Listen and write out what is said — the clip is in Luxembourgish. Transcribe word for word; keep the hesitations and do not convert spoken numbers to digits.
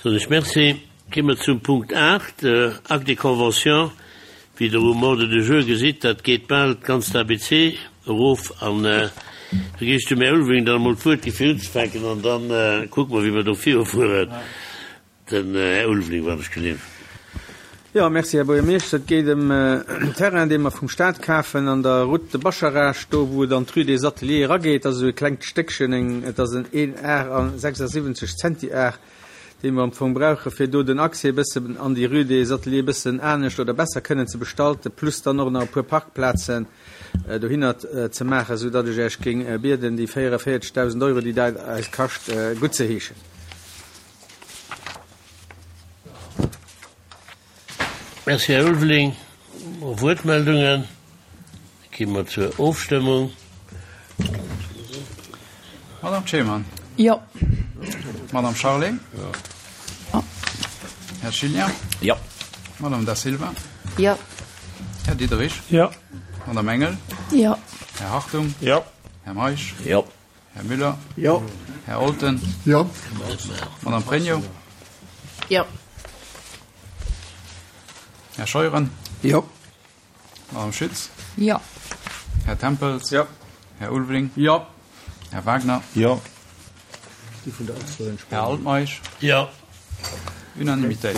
Soen ech Merci. Gi mer zum Punkt aacht, Acte de convention. Wéi Der um Ordre du jour gesitt, dat geet bal d'ganzt A B C erof. An da géif ech dem Här Ulveling dann emol d'Wuert gi fir unzefänken an da kucke mer, wéi mer do virufueren. Den Här Ulveling, wann ech genehm. Jo, merci, Här Buergermeeschter. Et geet ëm en Terrain, dee mer vum Staat kafen an der Route de Bascharage, do wou et an d'Rue des Ateliers erageet. Dat ass esou e klengt Stéckchen, eng, et ass en een Ar a sechsasiwwenzeg Zentiar, dee mer am Fong brauche fir do den Accès e bëssen an déi Rue des Ateliers e bëssen anescht oder besser kënnen ze bestalten, plus dann och nach e puer Parkplazen dohinner ze maachen, soudatt ech Iech géing bieden, déi véierevierzeghdausend Euro, déi dat eis kascht, guttzeheeschen. Merci, Här Ulveling. Wuertmeldungen? Da gi mer zur Ofstëmmung. Madame Cheman. Jo. Madame Charlé. Jo. Här Schillian. Jo. Madame Da Silva. Jo. Här Diderich. Jo. Madame Engel. Jo. Här Hartung. Jo. Här Meisch. Jo. Här Müller. Jo. Här Olten. Jo. Madame Pregno. Jo. Här Scheuren. Jo. Madame Schütz. Jo. Här Tempels. Jo. Här Ulveling. Jo. Här Wagner. Jo. Här Altmeisch. Jo. Unanimitéit.